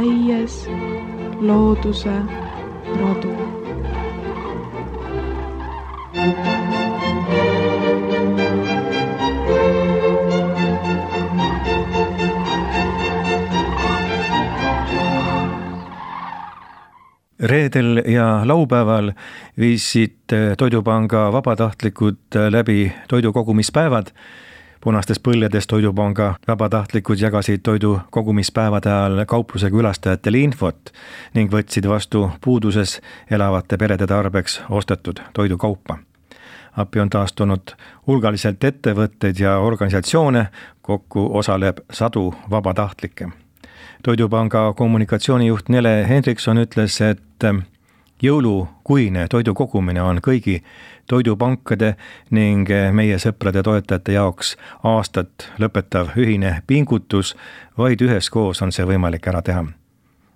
leies looduse rodu. Reedel ja laupäeval viisid Toidupanga vabatahtlikud läbi toidukogumispäevad. Punastes põljedes Toidupanga vabatahtlikud jagasid toidukogumispäevade ajal kaupluse külastajatele infot ning võtsid vastu puuduses elavate perede tarbeks ostetud toidukaupa. Appi on taastunud hulgaliselt ettevõtteid ja organisatsioone, kokku osaleb 100 vabatahtlikke. Toidupanga kommunikatsioonijuht Nele Hendrikson ütles, et jõulukuine toidu kogumine on kõigi toidupankade ning meie sõprade toetajate jaoks aastat lõpetav ühine pingutus, vaid üheskoos on see võimalik ära teha.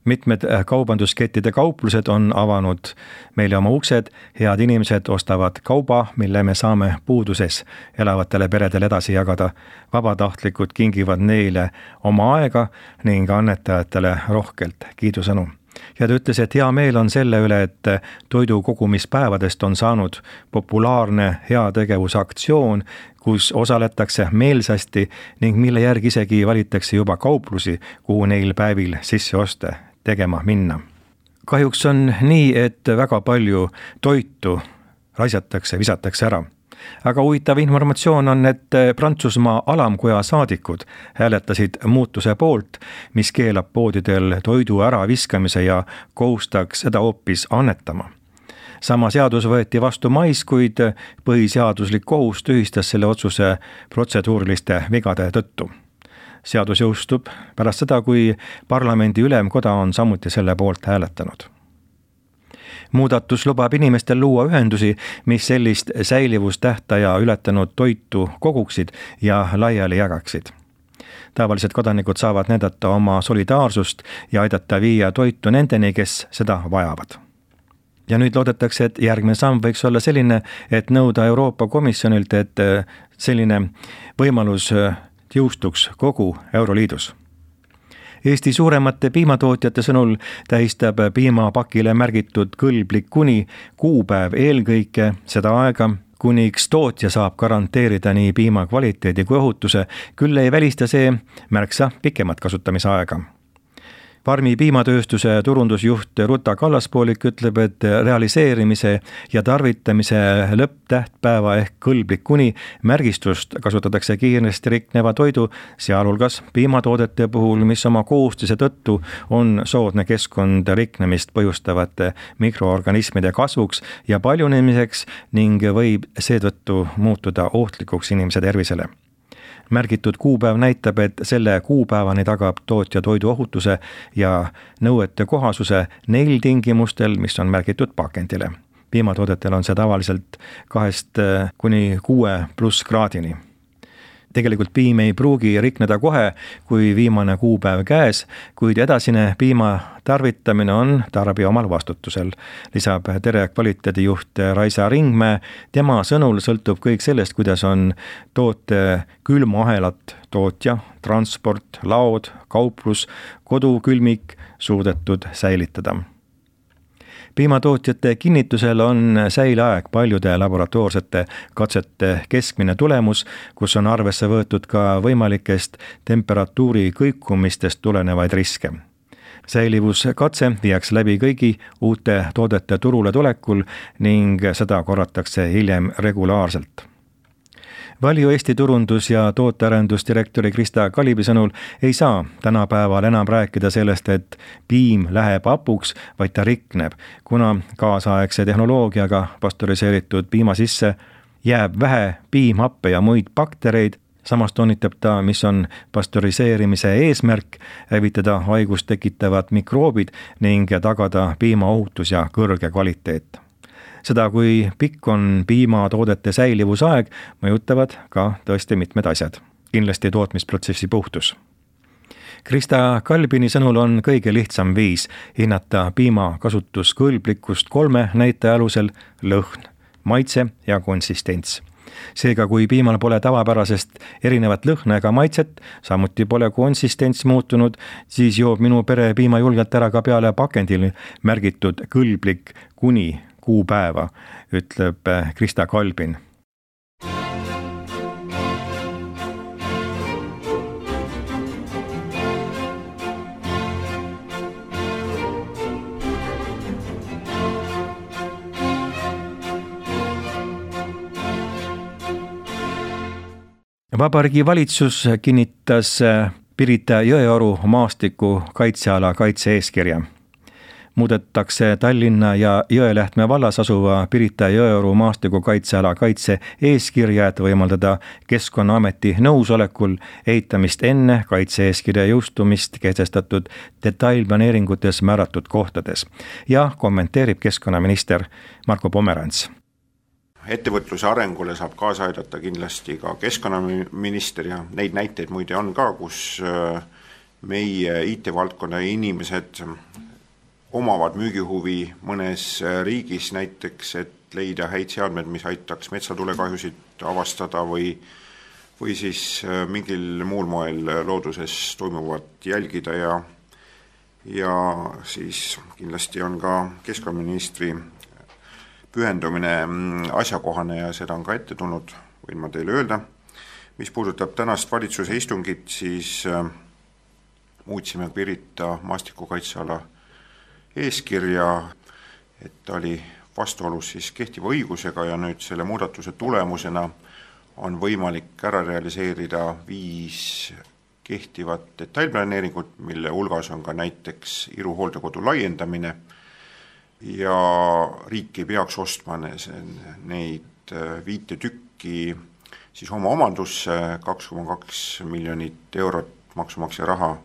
Mitmed kaubanduskettide kauplused on avanud meile oma uksed, head inimesed ostavad kauba, mille me saame puuduses elavatele peredele edasi jagada. Vabatahtlikud kingivad neile oma aega ning annetajatele rohkelt kiidusõnu. Ja ta ütles, et hea meel on selle üle, et toidukogumispäevadest on saanud populaarne heategevusaktsioon, kus osaletakse meelsasti ning mille järgi isegi valitakse juba kauplusi, kuhu neil päevil sisseoste tegema minna. Kahjuks on nii, et väga palju toitu raisatakse, visatakse ära. Aga huvitav informatsioon on, et Prantsusmaa alamkoja saadikud hääletasid muutuse poolt, mis keelab poodidel toidu ära viskamise ja kohustaks seda hoopis annetama. Sama seadus võeti vastu mais, kuid põhiseaduslik kohus tühistas selle otsuse protseduuriliste vigade tõttu. Seadus jõustub pärast seda, kui parlamendi ülemkoda on samuti selle poolt hääletanud. Muudatus lubab inimestel luua ühendusi, mis sellist säilivustähtaja ületanud toitu koguksid ja laiali jagaksid. Tavalised kodanikud saavad näidata oma solidaarsust ja aidata viia toitu nendeni, kes seda vajavad. Ja nüüd loodetakse, et järgmine samm võiks olla selline, et nõuda Euroopa Komisjonilt, et selline võimalus jõustuks kogu Euroliidus. Eesti suuremate piimatootjate sõnul tähistab piimapakile märgitud kõlblik kuni kuupäev eelkõige seda aega, kuniks tootja saab garanteerida nii piima kvaliteedi kui ohutuse, küll ei välista see märksa pikemat kasutamisaega. Farmi piimatööstuse turundusjuht Ruta Kallaspoolik ütleb, et realiseerimise ja tarvitamise lõpptähtpäeva ehk kõlblik kuni märgistust kasutatakse kiiresti rikneva toidu, sealhulgas piimatoodete puhul, mis oma koostise tõttu on soodne keskkond riknemist põhjustavate mikroorganismide kasvuks ja paljunemiseks ning võib seetõttu muutuda ohtlikuks inimese tervisele. Märgitud kuupäev näitab, et selle kuupäevani tagab tootja toidu ohutuse ja nõuete kohasuse neil tingimustel, mis on märgitud pakendile. Piimatoodetel on see tavaliselt 2–6+ kraadini. Tegelikult piim ei pruugi rikneda kohe, kui viimane kuupäev käes, kuid edasine piima tarvitamine on tarbija omal vastutusel, lisab Tere kvaliteedijuht Raisa Ringmäe. Tema sõnul sõltub kõik sellest, kuidas on toote külmaahelat tootja, transport, laod, kauplus, kodukülmik suudetud säilitada. Piimatootjate kinnitusel on säileaeg paljude laboratoorsete katsete keskmine tulemus, kus on arvesse võetud ka võimalikest temperatuuri kõikumistest tulenevaid riske. Säilivuskatse viiakse läbi kõigi uute toodete turule tulekul ning seda korratakse hiljem regulaarselt. Valju Eesti turundus- ja tootearendusdirektori Krista Kalibi sõnul ei saa tänapäeval enam rääkida sellest, et piim läheb hapuks, vaid ta rikneb, kuna kaasaegse tehnoloogiaga pastöriseeritud piima sisse jääb vähe piimhappe ja muid baktereid. Samas toonitab ta, mis on pastöriseerimise eesmärk, hävitada haigust tekitavad mikroobid ning tagada piima ohutus ja kõrge kvaliteet. Seda, kui pikk on piimatoodete säilivusaeg, mõjutavad ka tõesti mitmed asjad. Kindlasti tootmisprotsessi puhtus. Krista Kalbini sõnul on kõige lihtsam viis hinnata piima kasutuskõlblikkust 3 näitaja alusel: lõhn, maitse ja konsistents. Seega, kui piimal pole tavapärasest erinevat lõhna ega maitset, samuti pole konsistents muutunud, siis joob minu pere piima julgelt ära ka peale pakendil märgitud kõlblik kuni 6 päeva, ütleb Krista Kalbin. Vabariigi valitsus kinnitas Pirita Jõeoru maastiku kaitseala kaitse-eeskirja. Muudetakse Tallinna ja Jõelähtme vallas asuva Pirita Jõeoru maastiku kaitseala kaitse-eeskirja, et võimaldada Keskkonnaameti nõusolekul ehitamist enne kaitse-eeskirja jõustumist kehtestatud detailplaneeringutes määratud kohtades. Ja kommenteerib keskkonnaminister Marko Pomerants. Ettevõtluse arengule saab kaasa aidata kindlasti ka keskkonnaminister ja neid näiteid muide on ka, kus meie IT-valdkonna inimesed omavad müügihuvi mõnes riigis näiteks, et leida häid seadmed, mis aitaks metsatulekahjusid avastada või siis mingil muul moel looduses toimuvat jälgida ja siis kindlasti on ka keskkonnaministri pühendumine asjakohane ja seda on ka ette tulnud, võin ma teile öelda. Mis puudutab tänast valitsuse istungit, siis muutsime Pirita maastikukaitseala eeskirja, et ta oli vastuolus siis kehtiva õigusega ja nüüd selle muudatuse tulemusena on võimalik ära realiseerida 5 kehtivat detailplaneeringut, mille hulgas on ka näiteks Iru hooldekodu laiendamine, ja riik ei peaks ostma neid 5 tükki siis oma omandusse, 2,2 miljonit eurot maksumaksja raha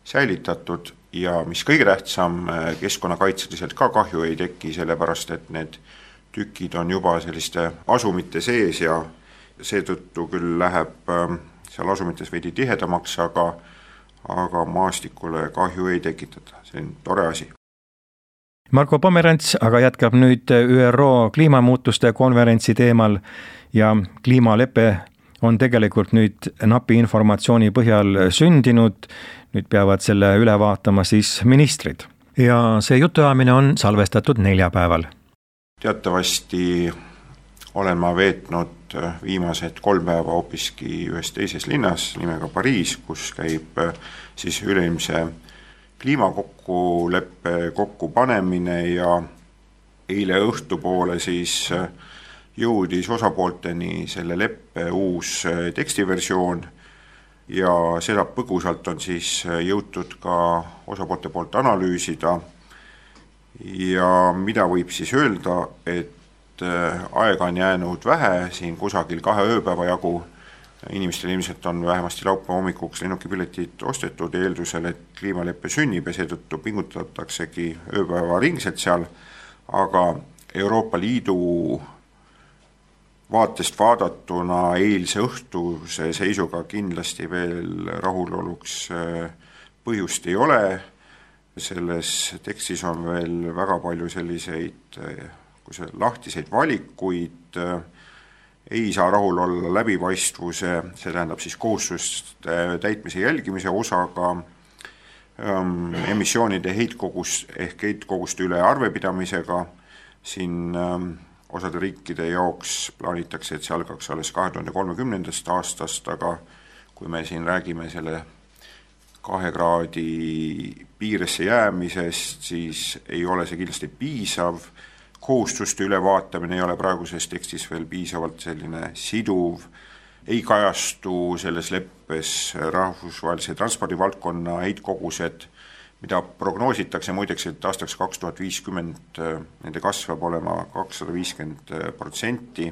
säilitatud ja mis kõige tähtsam, keskkonnakaitseliselt ka kahju ei teki, sellepärast et need tükid on juba selliste asumite sees ja seetõttu küll läheb seal asumites veidi tihedamaks, aga maastikule kahju ei tekitata, see on tore asi. Marko Pomerants aga jätkab nüüd ÜRO kliimamuutuste konverentsi teemal ja kliimalepe on tegelikult nüüd napi informatsiooni põhjal sündinud, nüüd peavad selle üle vaatama siis ministrid. Ja see jutuajamine on salvestatud neljapäeval. Teatavasti olen ma veetnud viimased 3 päeva hoopiski ühes teises linnas nimega Pariis, kus käib siis üleilmse kliimakokkuleppe kokkupanemine ja eile õhtupoole siis jõudis osapoolteni selle leppe uus tekstiversioon ja seda põgusalt on siis jõutud ka osapoolte poolt analüüsida ja mida võib siis öelda, et aega on jäänud vähe, siin kusagil 2 ööpäeva jagu. Inimestel ilmselt on vähemasti laupäeva hommikuks lennukipiletid ostetud eeldusel, et kliimaleppe sünnib ja seetõttu pingutataksegi ööpäeva ringselt seal, aga Euroopa Liidu vaatest vaadatuna eilse õhtuse seisuga kindlasti veel rahuloluks põhjust ei ole. Selles tekstis on veel väga palju selliseid lahtiseid valikuid, ei saa rahul olla läbipaistvuse, see tähendab siis kohustuste täitmise jälgimise osaga, emissioonide heitkoguste üle arvepidamisega, siin osade riikide jaoks plaanitakse, et see algaks alles 2030. aastast, aga kui me siin räägime selle 2 kraadi piiresse jäämisest, siis ei ole see kindlasti piisav. Kohustuste ülevaatamine ei ole praeguses tekstis veel piisavalt selline siduv, ei kajastu selles leppes rahvusvahelise transpordivaldkonna heitkogused, mida prognoositakse muideks, et aastaks 2050 nende kasvab olema 250%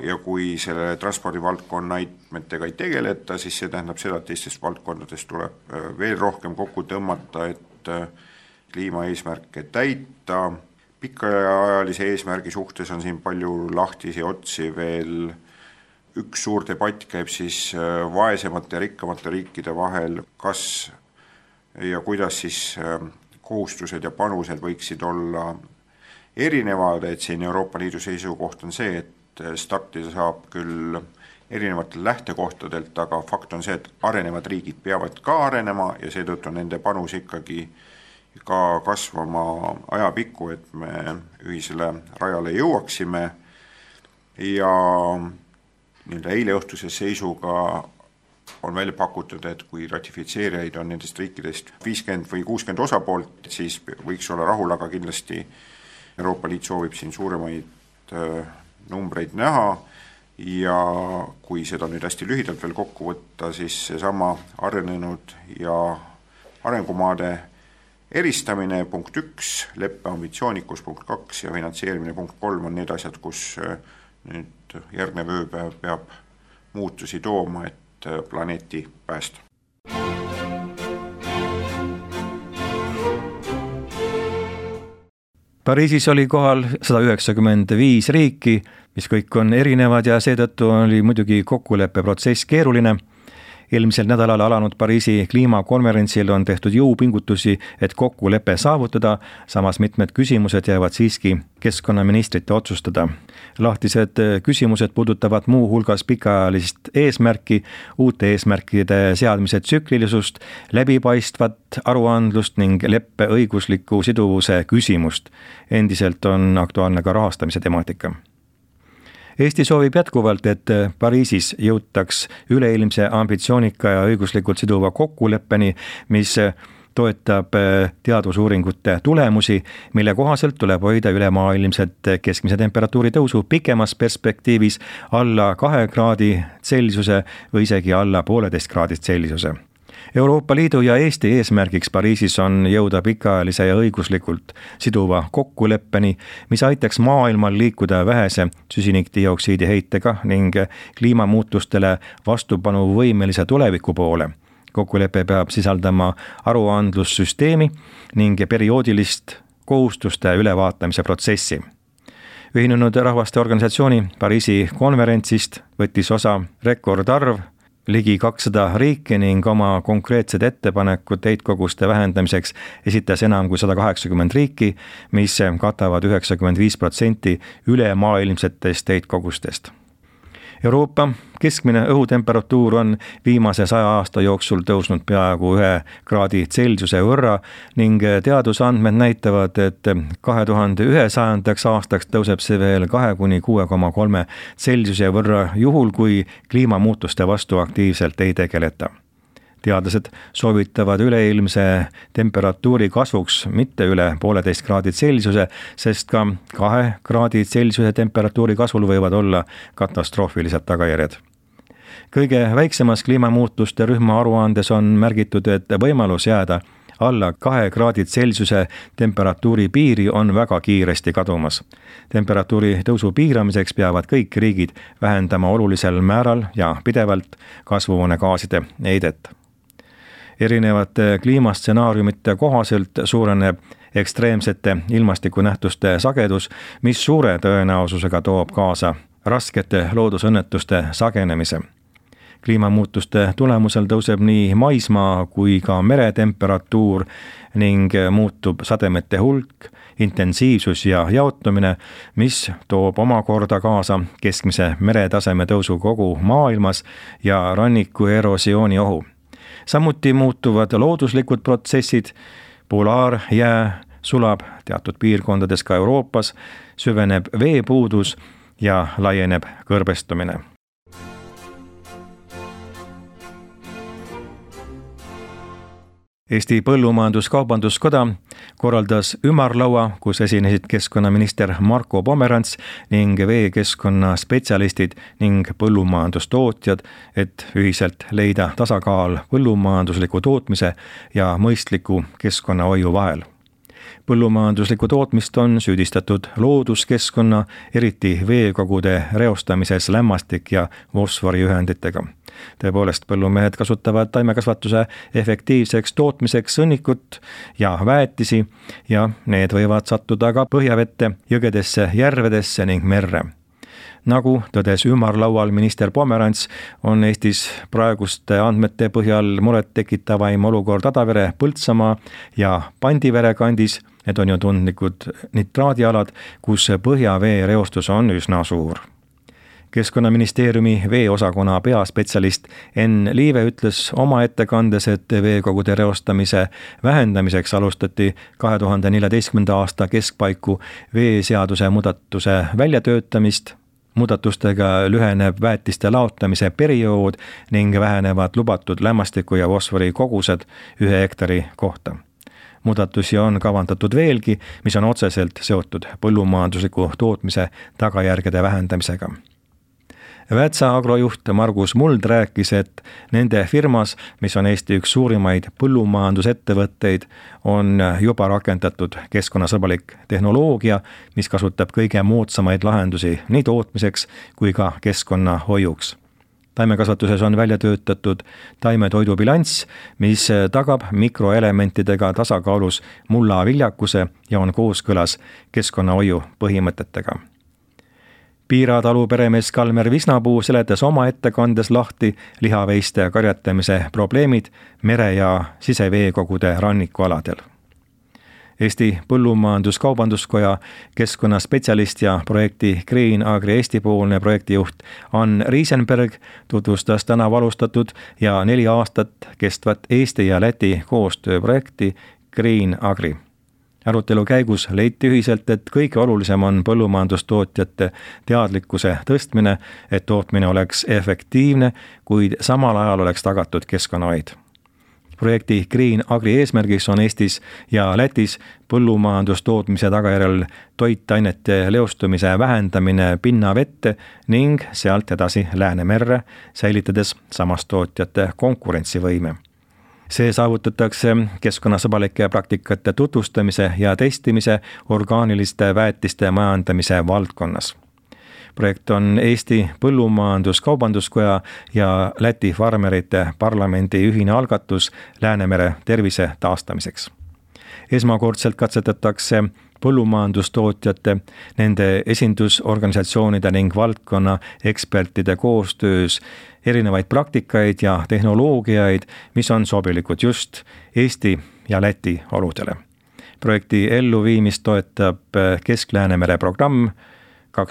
ja kui selle transpordivaldkonna heitmetega ei tegeleta, siis see tähendab seda, et teistest valdkondadest tuleb veel rohkem kokku tõmmata, et kliimaeesmärke täita. Pikaajalise eesmärgi suhtes on siin palju lahtisi otsi veel. Üks suur debatt käib siis vaesemate ja rikkamate riikide vahel, kas ja kuidas siis kohustused ja panused võiksid olla erinevad, et siin Euroopa Liidu seisukoht on see, et startida saab küll erinevatel lähtekohtadelt, aga fakt on see, et arenevad riigid peavad ka arenema ja seetõttu nende panus ikkagi ka kasvama ajapikku, et me ühisele rajale jõuaksime ja eile õhtuse seisuga on välja pakutud, et kui ratifitseerijaid on nendest riikidest 50 või 60 osapoolt, siis võiks olla rahul, aga kindlasti Euroopa Liit soovib siin suuremaid numbreid näha ja kui seda nüüd hästi lühidalt veel kokku võtta, siis seesama arenenud ja arengumaade eristamine punkt 1, leppe ambitsioonikus punkt 2 ja finantseerimine punkt 3 on need asjad, kus nüüd järgnev ööpäev peab muutusi tooma, et planeeti päästa. Pariisis oli kohal 195 riiki, mis kõik on erinevad ja seetõttu oli muidugi kokkuleppeprotsess keeruline. Eelmisel nädalal alanud Pariisi kliimakonverentsil on tehtud jõupingutusi, et kokkulepe saavutada, samas mitmed küsimused jäävad siiski keskkonnaministrite otsustada. Lahtised küsimused puudutavad muu hulgas pikaajalist eesmärki, uute eesmärkide seadmise tsüklilisust, läbipaistvat aruandlust ning leppe õigusliku siduvuse küsimust. Endiselt on aktuaalne ka rahastamise temaatika. Eesti soovib jätkuvalt, et Pariisis jõutaks üleilmse ambitsioonika ja õiguslikult siduva kokkuleppeni, mis toetab teadusuuringute tulemusi, mille kohaselt tuleb hoida ülemaailmset keskmise temperatuuri tõusu pikemas perspektiivis alla 2 kraadi Celsiuse või isegi alla 1,5 kraadi Celsiuse. Euroopa Liidu ja Eesti eesmärgiks Pariisis on jõuda pikaajalise ja õiguslikult siduva kokkuleppeni, mis aitaks maailmal liikuda vähese süsinikdioksiidi heitega ning kliimamuutustele vastupanuvõimelise tuleviku poole. Kokkulepe peab sisaldama aruandlussüsteemi ning perioodilist kohustuste ülevaatamise protsessi. Ühinenud Rahvaste Organisatsiooni Pariisi konverentsist võttis osa rekordarv ligi 200 riiki ning oma konkreetsed ettepanekud heitkoguste vähendamiseks esitas enam kui 180 riiki, mis katavad 95% ülemaailmsetest heitkogustest. Euroopa keskmine õhutemperatuur on viimase 100 aasta jooksul tõusnud peaaegu 1 kraadi Celsiuse võrra ning teadusandmed näitavad, et 2100. aastaks tõuseb see veel 2–6,3 Celsiuse võrra juhul, kui kliimamuutuste vastu aktiivselt ei tegeleta. Teadlased soovitavad üleilmse temperatuuri kasvuks mitte üle 1,5 kraadi Celsiuse, sest ka 2 kraadi Celsiuse temperatuuri kasvul võivad olla katastroofilised tagajärjed. Kõige väiksemas kliimamuutuste rühma aruandes on märgitud, et võimalus jääda alla 2 kraadi Celsiuse temperatuuri piiri on väga kiiresti kadumas. Temperatuuri tõusu piiramiseks peavad kõik riigid vähendama olulisel määral ja pidevalt kasvuhoonegaaside heidet. Erinevate kliimastsenaariumite kohaselt suureneb ekstreemsete ilmastikunähtuste sagedus, mis suure tõenäosusega toob kaasa raskete loodusõnnetuste sagenemise. Kliimamuutuste tulemusel tõuseb nii maismaa kui ka meretemperatuur ning muutub sademete hulk, intensiivsus ja jaotumine, mis toob omakorda kaasa keskmise meretaseme tõusu kogu maailmas ja ranniku erosiooni ohu. Samuti muutuvad looduslikud protsessid, polaarjää sulab teatud piirkondades ka Euroopas, süveneb veepuudus ja laieneb kõrbestumine. Eesti Põllumajandus-Kaubanduskoda korraldas ümarlaua, kus esinesid keskkonnaminister Marko Pomerants ning veekeskkonna spetsialistid ning põllumajandustootjad, et ühiselt leida tasakaal põllumajandusliku tootmise ja mõistliku keskkonnahoiu vahel. Põllumajanduslikku tootmist on süüdistatud looduskeskkonna, eriti veekogude reostamises lämmastik- ja fosforiühenditega. Tõepoolest, põllumehed kasutavad taimekasvatuse efektiivseks tootmiseks sõnnikut ja väetisi ja need võivad sattuda ka põhjavette, jõgedesse, järvedesse ning merre. Nagu tõdes ümarlaual minister Pomerants, on Eestis praeguste andmete põhjal muret tekitavaim olukord Adavere, Põltsamaa ja Pandivere kandis. Need on ju tundlikud nitraadialad, kus põhjavee reostus on üsna suur. Keskkonnaministeeriumi veeosakonna peaspetsialist Enn Liive ütles oma ettekandes, et veekogude reostamise vähendamiseks alustati 2014. aasta keskpaiku veeseaduse muudatuse väljatöötamist. Muudatustega lüheneb väetiste laotamise periood ning vähenevad lubatud lämmastiku ja fosfori kogused 1 hektari kohta. Muudatusi on kavandatud veelgi, mis on otseselt seotud põllumajandusliku tootmise tagajärgede vähendamisega. Väätsa agrojuht Margus Muld rääkis, et nende firmas, mis on Eesti üks suurimaid põllumajandusettevõtteid, on juba rakendatud keskkonnasõbralik tehnoloogia, mis kasutab kõige moodsamaid lahendusi nii tootmiseks kui ka keskkonnahoiuks. Taimekasvatuses on välja töötatud taimetoidubilanss, mis tagab mikroelementidega tasakaalus mullaviljakuse ja on kooskõlas keskkonnahoiu põhimõtetega. Piira talu peremees Kalmer Visnapuu seletas oma ettekandes lahti lihaveiste karjatamise probleemid mere- ja siseveekogude rannikualadel. Eesti Põllumajandus-Kaubanduskoja keskkonnaspetsialist ja projekti Green Agri Eesti-poolne projektijuht Ann Riisenberg tutvustas tänavu alustatud ja 4 aastat kestvat Eesti ja Läti koostööprojekti Green Agri. Arutelu käigus leiti ühiselt, et kõige olulisem on põllumajandustootjate teadlikkuse tõstmine, et tootmine oleks efektiivne, kuid samal ajal oleks tagatud keskkonnahoid. Projekti Green Agri eesmärgiks on Eestis ja Lätis põllumajandustootmise tagajärjel toitainete leostumise vähendamine pinnavette ning sealt edasi Läänemerre, säilitades samas tootjate konkurentsivõime. See saavutatakse keskkonnasõbralike praktikate tutvustamise ja testimise orgaaniliste väetiste majandamise valdkonnas. Projekt on Eesti Põllumajandus-Kaubanduskoja ja Läti farmerite parlamendi ühine algatus Läänemere tervise taastamiseks. Esmakordselt katsetatakse põllumajandustootjate, nende esindusorganisatsioonide ning valdkonna ekspertide koostöös erinevaid praktikaid ja tehnoloogiaid, mis on sobilikud just Eesti ja Läti oludele. Projekti elluviimist toetab Kesk-Läänemere programm 2014–2020.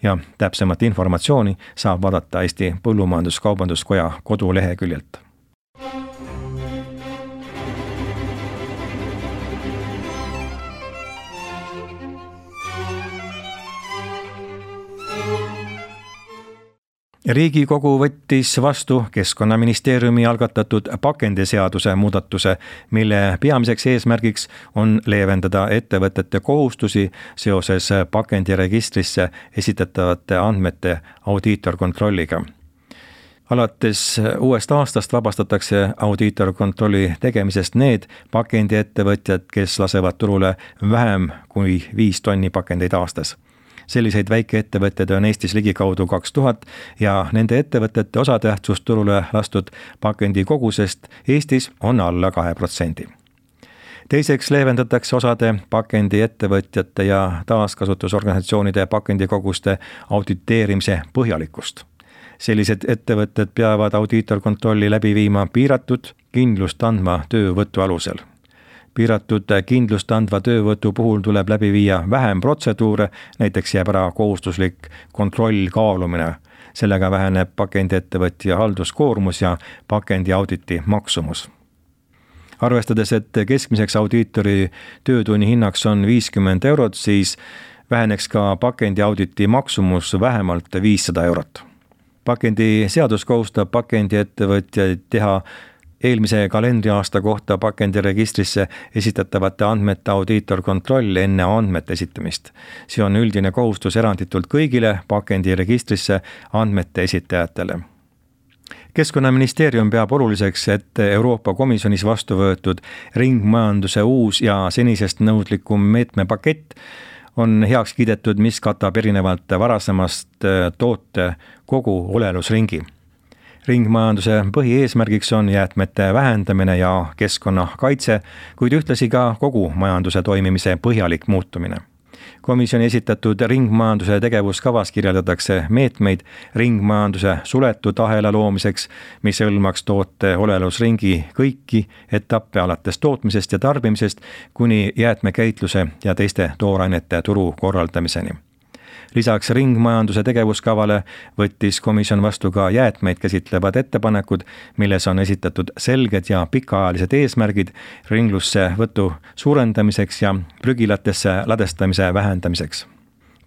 Ja täpsemat informatsiooni saab vaadata Eesti Põllumajandus-Kaubanduskoja koduleheküljelt. Riigikogu võttis vastu Keskkonnaministeeriumi algatatud pakendiseaduse muudatuse, mille peamiseks eesmärgiks on leevendada ettevõtete kohustusi seoses pakendiregistrisse esitatavate andmete audiitorkontrolliga. Alates uuest aastast vabastatakse audiitorkontrolli tegemisest need pakendiettevõtjad, kes lasevad turule vähem kui 5 tonni pakendeid aastas. Selliseid väikeettevõtteid on Eestis ligikaudu 2000 ja nende ettevõtete osatähtsus turule lastud pakendi kogusest Eestis on alla 2%. Teiseks leevendatakse osade pakendiettevõtjate ja taaskasutusorganisatsioonide pakendikoguste auditeerimise põhjalikkust. Sellised ettevõtted peavad audiitorkontrolli läbi viima piiratud kindlust andva töövõtu alusel. Piiratud kindlust andva töövõtu puhul tuleb läbi viia vähem protseduure, näiteks jääb ära kohustuslik kontroll kaalumine. Sellega väheneb pakendiettevõtja halduskoormus ja pakendiauditi maksumus. Arvestades, et keskmiseks audiitori töötunni hinnaks on 50 €, siis väheneks ka pakendiauditi maksumus vähemalt 500 €. Pakendiseadus kohustab pakendiettevõtjaid teha eelmise kalendriaasta kohta pakendiregistrisse esitatavate andmete audiitorkontroll enne andmete esitamist. See on üldine kohustus eranditult kõigile pakendiregistrisse andmete esitajatele. Keskkonnaministeerium peab oluliseks, et Euroopa Komisjonis vastu võetud ringmajanduse uus ja senisest nõudlikum meetmepakett on heaks kiidetud, mis katab erinevalt varasemast toote kogu olelusringi. Ringmajanduse põhieesmärgiks on jäätmete vähendamine ja keskkonnakaitse, kuid ühtlasi ka kogu majanduse toimimise põhjalik muutumine. Komisjoni esitatud ringmajanduse tegevuskavas kirjeldatakse meetmeid ringmajanduse suletud ahela loomiseks, mis hõlmaks toote olelusringi kõiki etappe alates tootmisest ja tarbimisest kuni jäätmekäitluse ja teiste toorainete turu korraldamiseni. Lisaks ringmajanduse tegevuskavale võttis komisjon vastu ka jäätmeid käsitlevad ettepanekud, milles on esitatud selged ja pikaajalised eesmärgid ringlusse võtu suurendamiseks ja prügilatesse ladestamise vähendamiseks.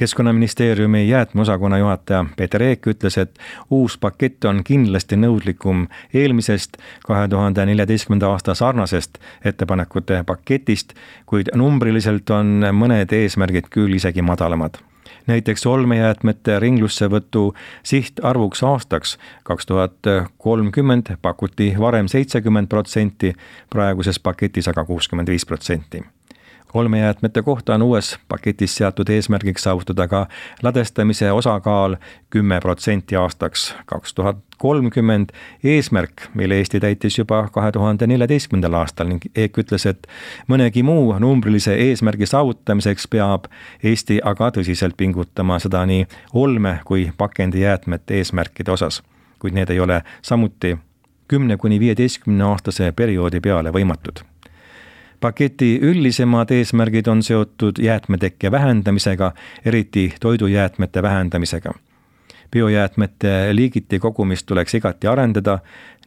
Keskkonnaministeeriumi jäätmeosakonna juhataja Peeter Eek ütles, et uus pakett on kindlasti nõudlikum eelmisest 2014. aasta sarnasest ettepanekute paketist, kuid numbriliselt on mõned eesmärgid küll isegi madalamad. Näiteks olmejäätmete ringlussevõtu sihtarvuks aastaks 2030 pakuti varem 70%, praeguses paketis aga 65%. Olmejäätmete kohta on uues paketis seatud eesmärgiks saavutada ka ladestamise osakaal 10% aastaks 2030, eesmärk, mille Eesti täitis juba 2014. aastal ning Eek ütles, et mõnegi muu numbrilise eesmärgi saavutamiseks peab Eesti aga tõsiselt pingutama seda nii olme- kui pakendijäätmete eesmärkide osas, kuid need ei ole samuti 10–15 aastase perioodi peale võimatud. Paketi üldisemad eesmärgid on seotud jäätmetekke vähendamisega, eriti toidujäätmete vähendamisega. Biojäätmete liigiti kogumist tuleks igati arendada,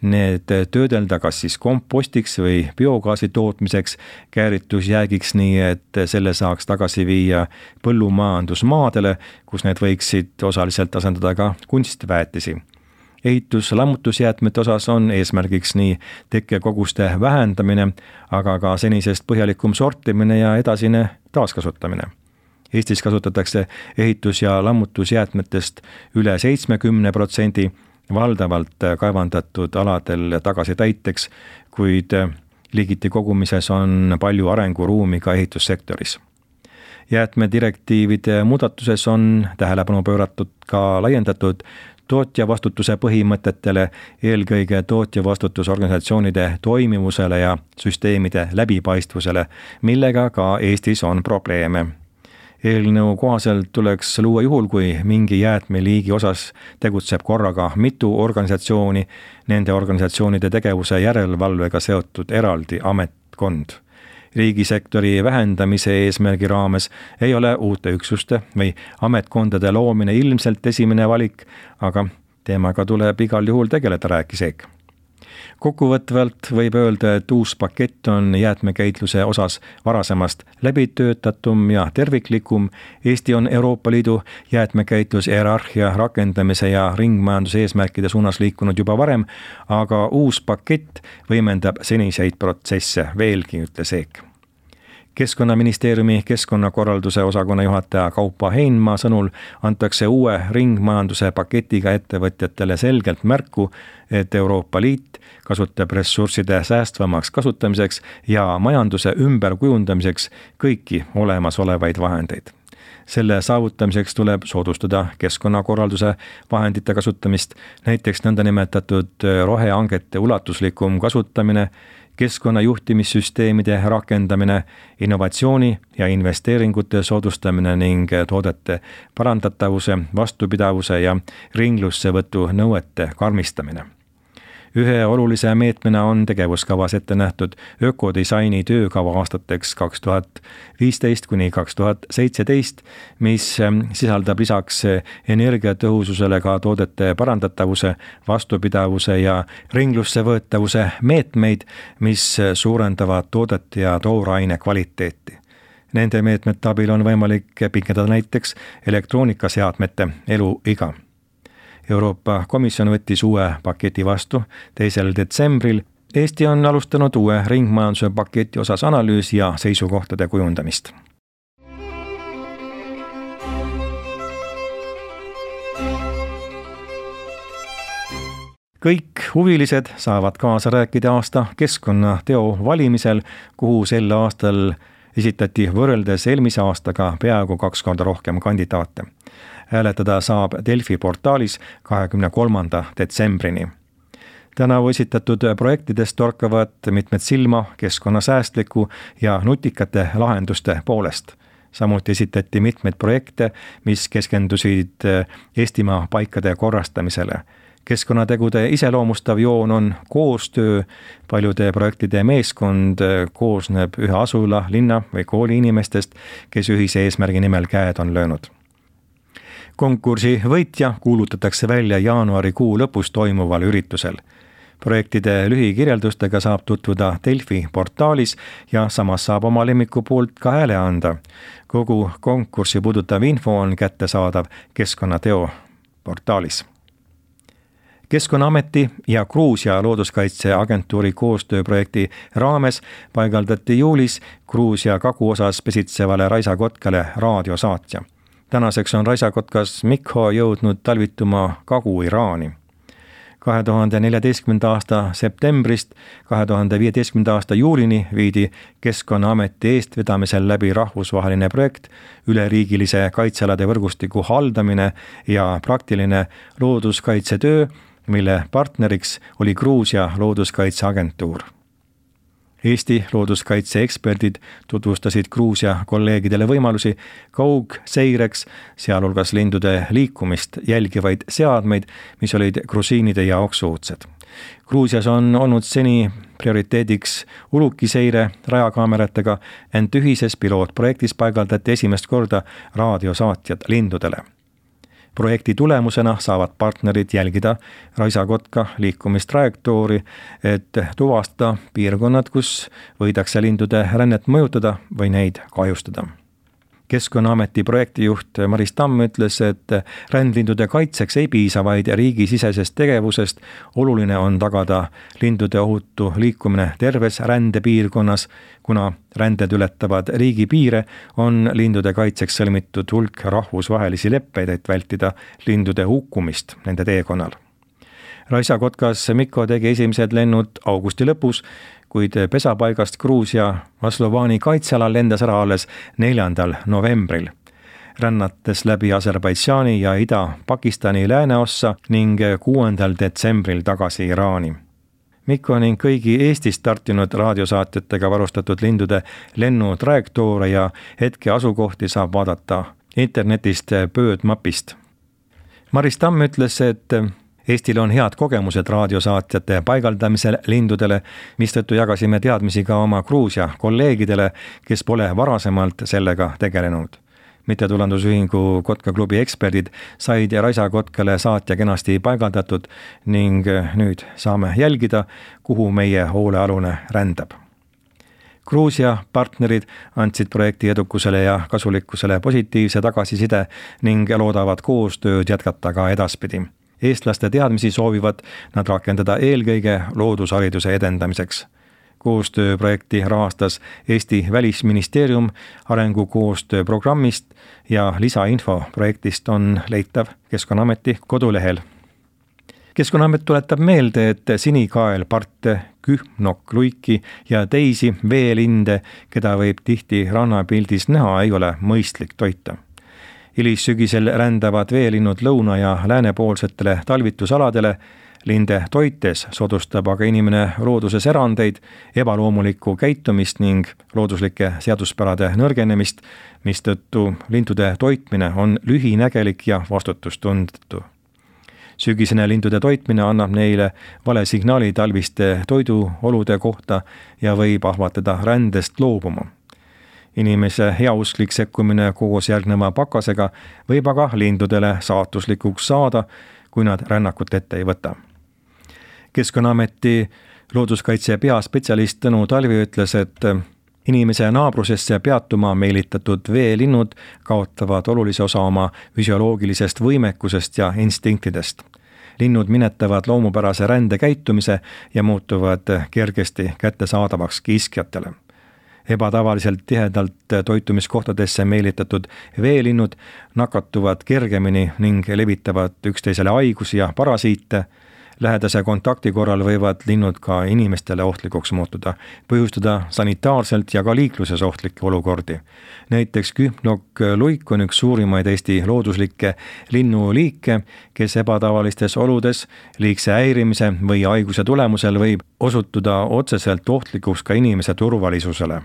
need töödelda kas siis kompostiks või biogaasi tootmiseks, kääritusjäägiks nii, et selle saaks tagasi viia põllumajandusmaadele, kus need võiksid osaliselt asendada ka kunstväetisi. Ehitus-lammutusjäätmete osas on eesmärgiks nii tekkekoguste vähendamine, aga ka senisest põhjalikum sortimine ja edasine taaskasutamine. Eestis kasutatakse ehitus- ja lammutusjäätmetest üle 70%, valdavalt kaevandatud aladel tagasitäiteks, kuid liigiti kogumises on palju arenguruumi ka ehitussektoris. Jäätmedirektiivide muudatuses on tähelepanu pööratud ka laiendatud tootjavastutuse põhimõtetele, eelkõige tootjavastutusorganisatsioonide toimivusele ja süsteemide läbipaistvusele, millega ka Eestis on probleeme. Eelnõu kohaselt tuleks luua juhul, kui mingi jäätmeliigi osas tegutseb korraga mitu organisatsiooni, nende organisatsioonide tegevuse järelevalvega seotud eraldi ametkond. Riigisektori vähendamise eesmärgi raames ei ole uute üksuste või ametkondade loomine ilmselt esimene valik, aga teemaga tuleb igal juhul tegeleda, rääkis Eek. Kokkuvõtvalt võib öelda, et uus pakett on jäätmekäitluse osas varasemast läbitöötatum ja terviklikum. Eesti on Euroopa Liidu jäätmekäitlushierarhia rakendamise ja ringmajanduse eesmärkide suunas liikunud juba varem, aga uus pakett võimendab seniseid protsesse veelgi, ütles Eek. Keskkonnaministeeriumi keskkonnakorralduse osakonna juhataja Kaupo Heinmaa sõnul antakse uue ringmajanduse paketiga ettevõtjatele selgelt märku, et Euroopa Liit kasutab ressursside säästvamaks kasutamiseks ja majanduse ümberkujundamiseks kõiki olemasolevaid vahendeid. Selle saavutamiseks tuleb soodustada keskkonnakorralduse vahendite kasutamist, näiteks nõndanimetatud rohehangete ulatuslikum kasutamine, keskkonnajuhtimissüsteemide rakendamine, innovatsiooni ja investeeringute soodustamine ning toodete parandatavuse, vastupidavuse ja ringlussevõtu nõuete karmistamine. Ühe olulise meetmena on tegevuskavas ette nähtud ökodisaini töökava aastateks 2015–2017, mis sisaldab lisaks energiatõhususele ka toodete parandatavuse, vastupidavuse ja ringlussevõetavuse meetmeid, mis suurendavad toodete ja tooraine kvaliteeti. Nende meetmete abil on võimalik pikendada näiteks elektroonikaseadmete eluiga. Euroopa Komisjon võttis uue paketi vastu 2. detsembril. Eesti on alustanud uue ringmajanduse paketi osas analüüsi ja seisukohtade kujundamist. Kõik huvilised saavad kaasa rääkida aasta keskkonnateo valimisel, kuhu sel aastal esitati võrreldes eelmise aastaga peaaegu 2 korda rohkem kandidaate. Hääletada saab Delfi portaalis 23. detsembrini. Tänavu esitatud projektidest torkavad mitmed silma keskkonnasäästliku ja nutikate lahenduste poolest. Samuti esitati mitmeid projekte, mis keskendusid Eestimaa paikade korrastamisele. Keskkonnategude iseloomustav joon on koostöö, paljude projektide meeskond koosneb ühe asula, linna või kooli inimestest, kes ühise eesmärgi nimel käed on löönud. konkursi võitja kuulutatakse välja jaanuarikuu lõpus toimuval üritusel. Projektide lühikirjeldustega saab tutvuda Delfi portaalis ja samas saab oma lemmiku poolt ka hääle anda. Kogu konkurssi puudutav info on kättesaadav Keskkonnateo portaalis. Keskkonnaameti ja Gruusia looduskaitseagentuuri koostööprojekti raames paigaldati juulis Gruusia kaguosas pesitsevale raisakotkale raadiosaatja. Tänaseks on raisakotkas Mikho jõudnud talvituma Kagu-Iraani. 2014. aasta septembrist 2015. aasta juulini viidi Keskkonnaameti eestvedamisel läbi rahvusvaheline projekt üleriigilise kaitsealade võrgustiku haldamine ja praktiline looduskaitsetöö, mille partneriks oli Gruusia looduskaitseagentuur. Eesti looduskaitseeksperdid tutvustasid Gruusia kolleegidele võimalusi kaugseireks, sealhulgas lindude liikumist jälgivaid seadmeid, mis olid grusiinide jaoks uudsed. Gruusias on olnud seni prioriteediks ulukiseire rajakaameratega, ent ühises pilootprojektis paigaldati esimest korda raadiosaatjad lindudele. Projekti tulemusena saavad partnerid jälgida raisakotka liikumistrajektoori, et tuvastada piirkonnad, kus võidakse lindude rännet mõjutada või neid kahjustada. Keskkonnaameti projektijuht Maris Tamm ütles, et rändlindude kaitseks ei piisa vaid riigisisesest tegevusest, oluline on tagada lindude ohutu liikumine terves rändepiirkonnas, kuna ränded ületavad riigipiire, on lindude kaitseks sõlmitud hulk rahvusvahelisi leppeid, et vältida lindude hukkumist nende teekonnal. Raisakotkas Mikko tegi esimesed lennud augusti lõpus, kuid pesapaigast Gruusia Maslovani kaitsealal lendas ära alles 4. novembril. Rännates läbi Aserbaidžaani ja Ida-Pakistani lääneossa ning 6. detsembril tagasi Iraani. Mikko ning kõigi Eestist startinud raadiosaatjatega varustatud lindude lennutrajektoore ja hetke asukohti saab vaadata internetist Birdmapist. Maris Tamm ütles, et Eestil on head kogemused raadiosaatjate paigaldamisel lindudele, mistõttu jagasime teadmisi ka oma Gruusia kolleegidele, kes pole varasemalt sellega tegelenud. Mittetulundusühingu Kotkaklubi eksperdid said raisakotkale saatja kenasti paigaldatud ning nüüd saame jälgida, kuhu meie hoolealune rändab. Gruusia partnerid andsid projekti edukusele ja kasulikkusele positiivse tagasiside ning loodavad koostööd jätkata ka edaspidi. Eestlaste teadmisi soovivad nad rakendada eelkõige loodushariduse edendamiseks. Koostööprojekti rahastas Eesti Välisministeerium arengukoostöö programmist ja lisainfo projektist on leitav Keskkonnaameti kodulehel. Keskkonnaamet tuletab meelde, et sinikaelparte, kühnokluiki ja teisi veelinde, keda võib tihti rannapildis näha, ei ole mõistlik toita. Hilissügisel rändavad veelinnud lõuna- ja läänepoolsetele talvitusaladele, linde toites soodustab aga inimene looduses erandeid, ebaloomulikku käitumist ning looduslike seaduspärade nõrgenemist, mistõttu lindude toitmine on lühinägelik ja vastutustundetu. Sügisene lindude toitmine annab neile vale signaali talviste toiduolude kohta ja võib ahvatleda rändest loobuma. Inimese heausklik sekkumine koos järgneva pakasega võib aga lindudele saatuslikuks saada, kui nad rännakut ette ei võta. Keskkonnaameti looduskaitse peaspetsialist Tõnu Talvi ütles, et inimese naabrusesse peatuma meelitatud veelinnud kaotavad olulise osa oma füsioloogilisest võimekusest ja instinktidest. Linnud minetavad loomupärase rändekäitumise ja muutuvad kergesti kättesaadavaks kiskjatele. Ebatavaliselt tihedalt toitumiskohtadesse meelitatud veelinnud nakatuvad kergemini ning levitavad üksteisele haigusi ja parasiite. Lähedase kontakti korral võivad linnud ka inimestele ohtlikuks muutuda, põhjustada sanitaarselt ja ka liikluses ohtlikke olukordi. Näiteks kühnokluik on üks suurimaid Eesti looduslikke linnuliike, kes ebatavalistes oludes liigse häirimise või haiguse tulemusel võib osutuda otseselt ohtlikuks ka inimese turvalisusele.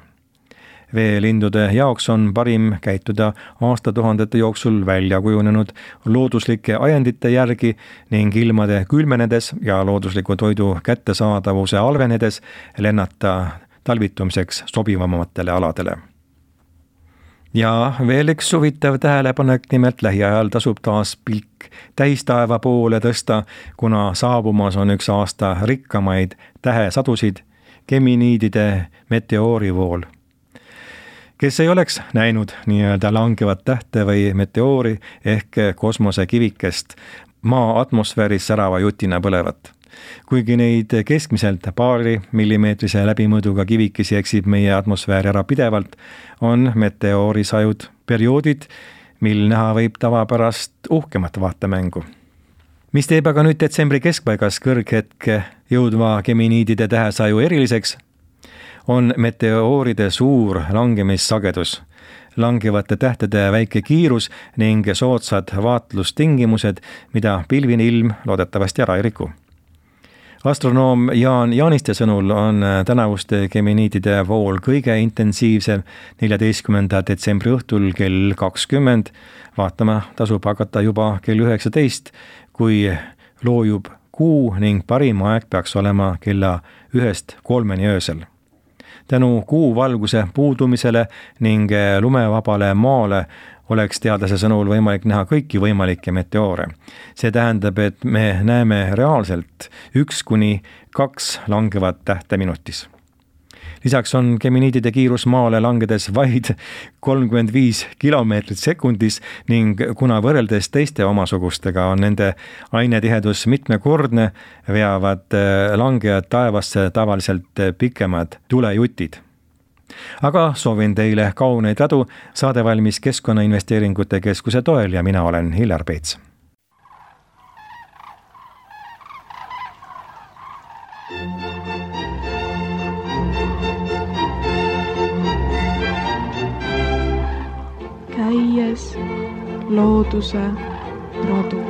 Veelindude jaoks on parim käituda aastatuhandete jooksul välja kujunenud looduslike ajendite järgi ning ilmade külmenedes ja loodusliku toidu kättesaadavuse halvenedes lennata talvitumiseks sobivamatele aladele. Ja veel üks huvitav tähelepanek, nimelt lähiajal tasub taas pilk täistaeva poole tõsta, kuna saabumas on üks aasta rikkamaid tähesadusid, Geminiidide meteoorivool. Kes ei oleks näinud nii-öelda langevat tähte või meteoori ehk kosmosekivikest maa atmosfääris särava jutina põlevat. Kuigi neid keskmiselt paari millimeetrise läbimõõduga kivikesi eksib meie atmosfääri ära pidevalt, on meteoorisajud perioodid, mil näha võib tavapärast uhkemat vaatemängu. Mis teeb aga nüüd detsembri keskpaigas kõrghetke jõudva Geminiidide tähesaju eriliseks, on meteooride suur langemissagedus, langevate tähtede väike kiirus ning soodsad vaatlustingimused, mida pilvine ilm loodetavasti ära ei riku. Astronoom Jaan Jaaniste sõnul on tänavuste Geminiidide vool kõige intensiivsem 14. detsembri õhtul kell 20. Vaatama tasub hakata juba kell 19, kui loojub kuu ning parim aeg peaks olema kella 1-3 öösel. Tänu kuu valguse puudumisele ning lumevabale maale oleks teadlase sõnul võimalik näha kõiki võimalikke meteoore. See tähendab, et me näeme reaalselt 1-2 langevat tähte minutis. Lisaks on Geminiidide kiirus maale langedes vaid 35 kilomeetrit sekundis ning kuna võrreldes teiste omasugustega on nende ainetihedus mitmekordne, veavad langejad taevasse tavaliselt pikemad tulejutid. Aga soovin teile kauneid radu, saade valmis Keskkonnainvesteeringute Keskuse toel ja mina olen Hillar Peets. Käies looduse radu.